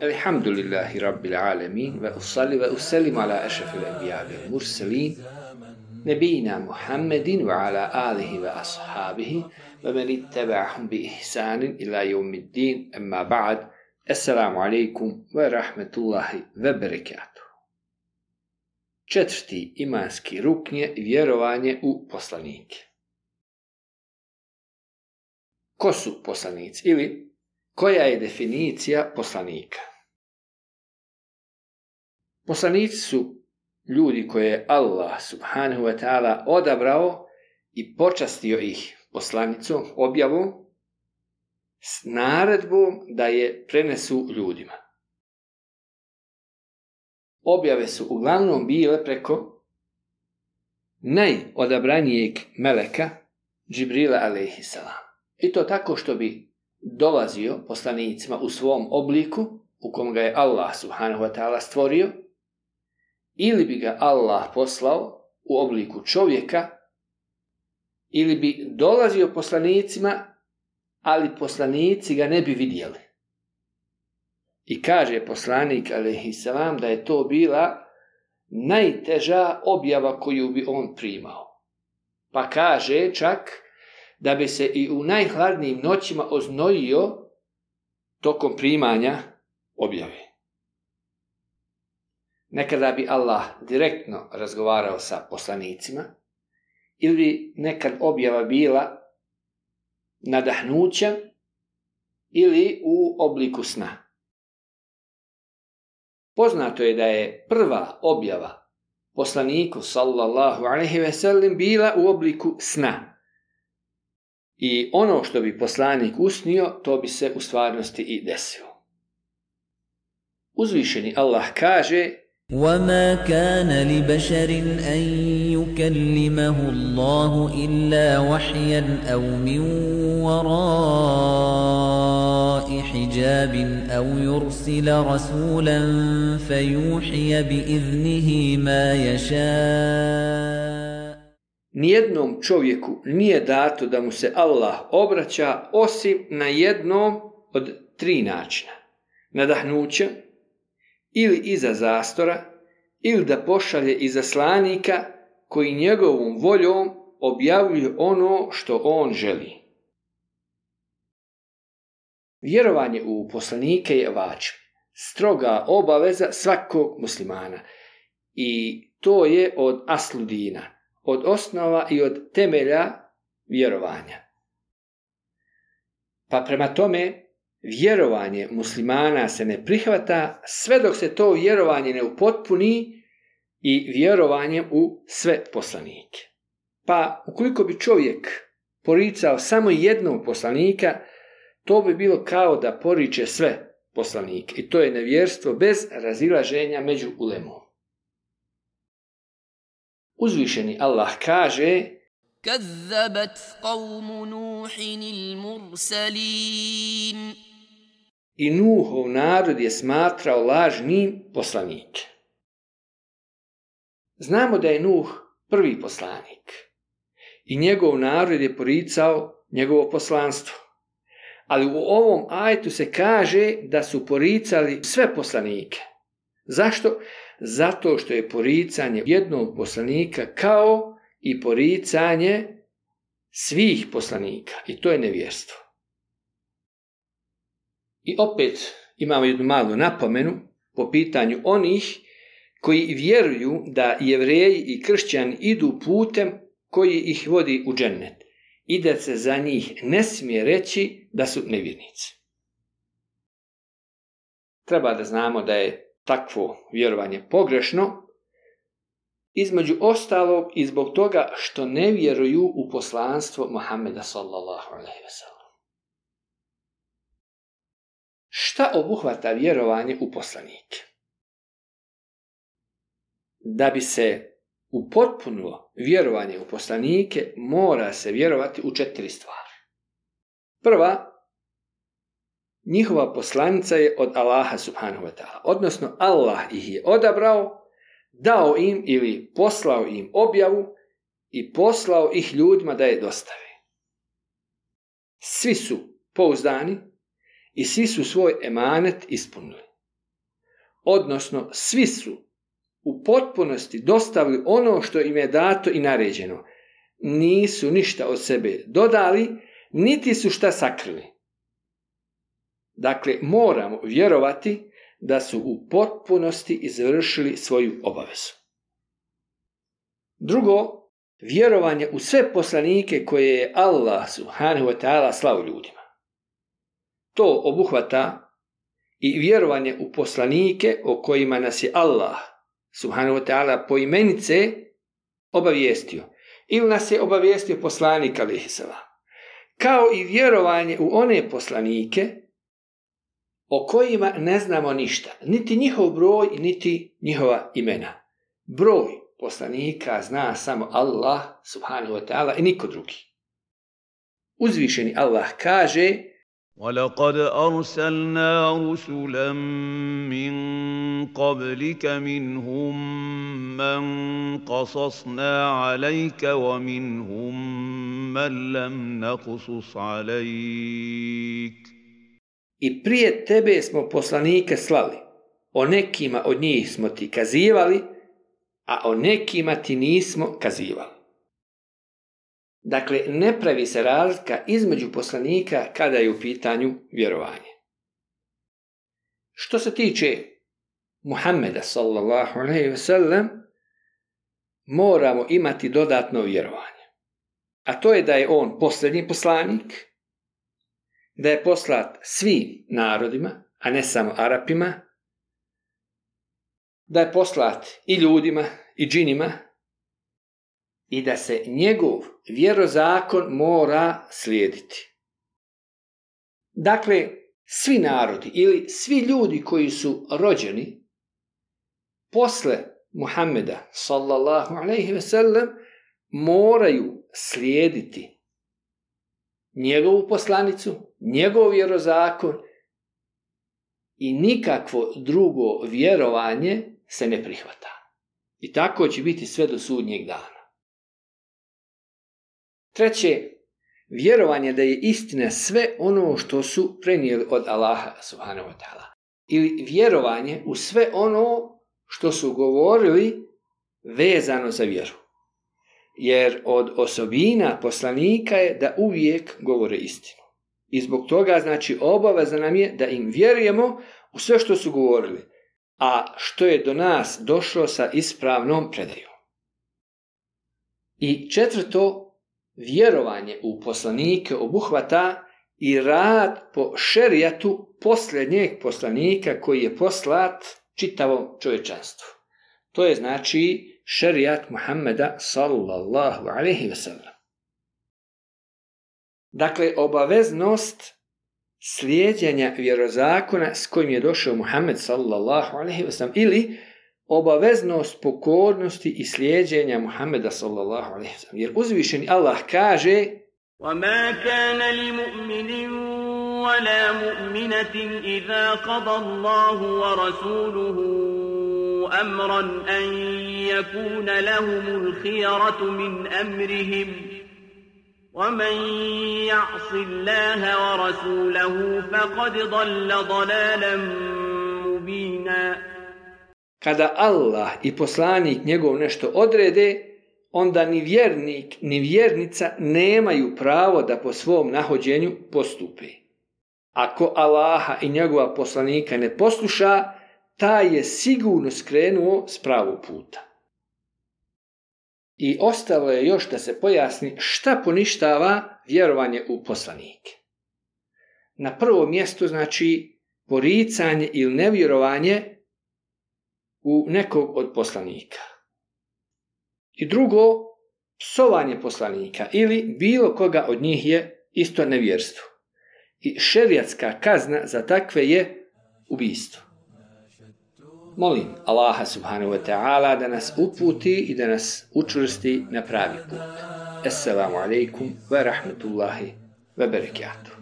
Alhamdulillahi Rabbil Alamin wa usalli wa usallim ala ashrafil anbiya wal mursalin nabiyina Muhammedin wa ala alihi wa ashabihi wa man ittaba'ahum bi ihsanin ila yawmiddin, amma ba'd. Assalamu alaikum wa rahmatullahi wa barakatuh. Četvrti imanski rukn je vjerovanje u poslanike. Ko su poslanici ili koja je definicija poslanika? Poslanici su ljudi koje je Allah subhanahu wa ta'ala odabrao i počastio ih poslanicom, objavom, s naredbom da je prenesu ljudima. Objave su uglavnom bile preko najodabranijeg meleka Džibrila alejhiselam. I to tako što bi dolazio poslanicima u svom obliku u kom ga je Allah subhanahu wa ta'ala stvorio, ili bi ga Allah poslao u obliku čovjeka, ili bi dolazio poslanicima, ali poslanici ga ne bi vidjeli. I kaže poslanik alejhiselam da je to bila najteža objava koju bi on primao. Pa kaže čak da bi se i u najhladnijim noćima oznojio tokom primanja objave. Nekada bi Allah direktno razgovarao sa poslanicima, ili bi nekad objava bila nadahnuća ili u obliku sna. Poznato je da je prva objava poslaniku sallallahu alejhi ve sellem bila u obliku sna. I ono što bi poslanik usnio, to bi se u stvarnosti i desilo. Uzvišeni Allah kaže: وَمَا كَانَ لِبَشَرٍ أَن يُكَلِّمَهُ اللَّهُ إِلَّا وَحْيًا أَوْ مِنْ وَرَاءِ حِجَابٍ أَوْ يُرْسِلَ رَسُولًا فَيُوحِيَ بِإِذْنِهِ مَا يَشَاءُ. Nijednom čovjeku nije dato da mu se Allah obraća osim na jednom od tri načina: nadahnuća, ili iza zastora, ili da pošalje izaslanika koji njegovom voljom objavljuje ono što on želi. Vjerovanje u poslanike je vađib, stroga obaveza svakog muslimana, i to je od asludina, od osnova i od temelja vjerovanja. Pa prema tome, vjerovanje muslimana se ne prihvata sve dok se to vjerovanje ne upotpuni i vjerovanjem u sve poslanike. Pa ukoliko bi čovjek poricao samo jednog poslanika, to bi bilo kao da poriče sve poslanike. I to je nevjerstvo bez razilaženja među ulemom. Uzvišeni Allah kaže: كذبت قوم نوح المرسلين. I Nuhov narod je smatrao lažnim poslanike. Znamo da je Nuh prvi poslanik i njegov narod je poricao njegovo poslanstvo. Ali u ovom ajetu se kaže da su poricali sve poslanike. Zašto? Zato što je poricanje jednog poslanika kao i poricanje svih poslanika, i to je nevjerstvo. I opet imamo jednu malu napomenu po pitanju onih koji vjeruju da Jevreji i kršćani idu putem koji ih vodi u džennet i da se za njih ne smije reći da su nevjernici. Treba da znamo da je takvo vjerovanje pogrešno, između ostalog i zbog toga što ne vjeruju u poslanstvo Muhammeda sallallahu alejhi ve sellem. Šta obuhvata vjerovanje u poslanike? Da bi se upotpunilo vjerovanje u poslanike, mora se vjerovati u 4 stvari. Prva, njihova poslanica je od Allaha subhanahu wa ta'ala, odnosno Allah ih je odabrao, dao im ili poslao im objavu i poslao ih ljudima da je dostave. svi su pouzdani i svi su svoj emanet ispunili. Odnosno, svi su u potpunosti dostavili ono što im je dato i naređeno. Nisu ništa od sebe dodali, niti su šta sakrili. Dakle, moramo vjerovati da su u potpunosti izvršili svoju obavezu. Drugo, vjerovanje u sve poslanike koje je Allah subhanahu wa ta'ala slao ljudima. To obuhvata i vjerovanje u poslanike o kojima nas je Allah subhanahu wa ta'ala poimenice obavijestio. Ili nas je obavijestio poslanik alejhi selam. Kao i vjerovanje u one poslanike o kojima ne znamo ništa. Niti njihov broj, niti njihova imena. Broj poslanika zna samo Allah subhanahu wa ta'ala i niko drugi. Uzvišeni Allah kaže: وَلَقَدْ أَرْسَلْنَا رُسُلًا مِّن قَبْلِكَ مِنْهُم مَّن قَصَصْنَا عَلَيْكَ وَمِنْهُم مَّن لَّمْ نَقْصُصْ عَلَيْكَ. I prije tebe smo poslanike slali, o nekima od njih smo ti kazivali, a o nekima ti nismo kazivali. Dakle, ne pravi se razlika između poslanika kada je u pitanju vjerovanje. Što se tiče Muhammeda sallallahu alejhi ve sellem, moramo imati dodatno vjerovanje. A to je da je on posljednji poslanik, da je poslat svim narodima, a ne samo Arapima, da je poslat i ljudima i džinima, i da se njegov vjerozakon mora slijediti. Dakle, svi narodi ili svi ljudi koji su rođeni posle Muhammeda sallallahu alejhi ve sellem moraju slijediti njegovu poslanicu, njegov vjerozakon i nikakvo drugo vjerovanje se ne prihvata. I tako će biti sve do sudnjeg dana. Treće, vjerovanje da je istina sve ono što su prenijeli od Allaha subhanahu wa ta'ala. Ili vjerovanje u sve ono što su govorili vezano za vjeru. Jer od osobina poslanika je da uvijek govore istinu. I zbog toga znači obaveza nam je da im vjerujemo u sve što su govorili, a što je do nas došlo sa ispravnom predajom. I četvrto, vjerovanje u poslanike obuhvata i rad po šerijatu posljednjeg poslanika koji je poslat čitavom čovječanstvu. To je znači šerijat Muhammeda sallallahu alejhi ve sellem. Dakle, obaveznost slijeđenja vjerozakona s kojim je došao Muhammed sallallahu alejhi ve sellem ili obaveznost pokornosti i slijeđenja Muhammeda sallallahu alejhi ve sellem. Jer uzvišeni Allah kaže: وَمَا كَانَ لِمُؤْمِنٍ وَلَا مُؤْمِنَةٍ إِذَا قَضَى اللَّهُ وَرَسُولُهُ أَمْرًا أَن يَكُونَ لَهُمُ الْخِيَرَةُ مِنْ أَمْرِهِمْ وَمَن يَعْصِ اللَّهَ وَرَسُولَهُ فَقَدْ ضَلَّ ضَلَالًا مُبِينًا. Kada Allah i poslanik njegov nešto odrede, onda ni vjernik ni vjernica nemaju pravo da po svom nahođenju postupe. Ako Allaha i njegova poslanika ne posluša, taj je sigurno skrenuo s pravog puta. I ostalo je još da se pojasni šta poništava vjerovanje u poslanike. Na prvom mjestu znači poricanje ili nevjerovanje u nekog od poslanika. I drugo, psovanje poslanika ili bilo koga od njih je isto nevjerstvo. I šerijatska kazna za takve je ubijstvo. Molim Allaha subhanahu wa ta'ala da nas uputi i da nas učvrsti na pravi put. Assalamu alaikum wa rahmatullahi wa barakatuh.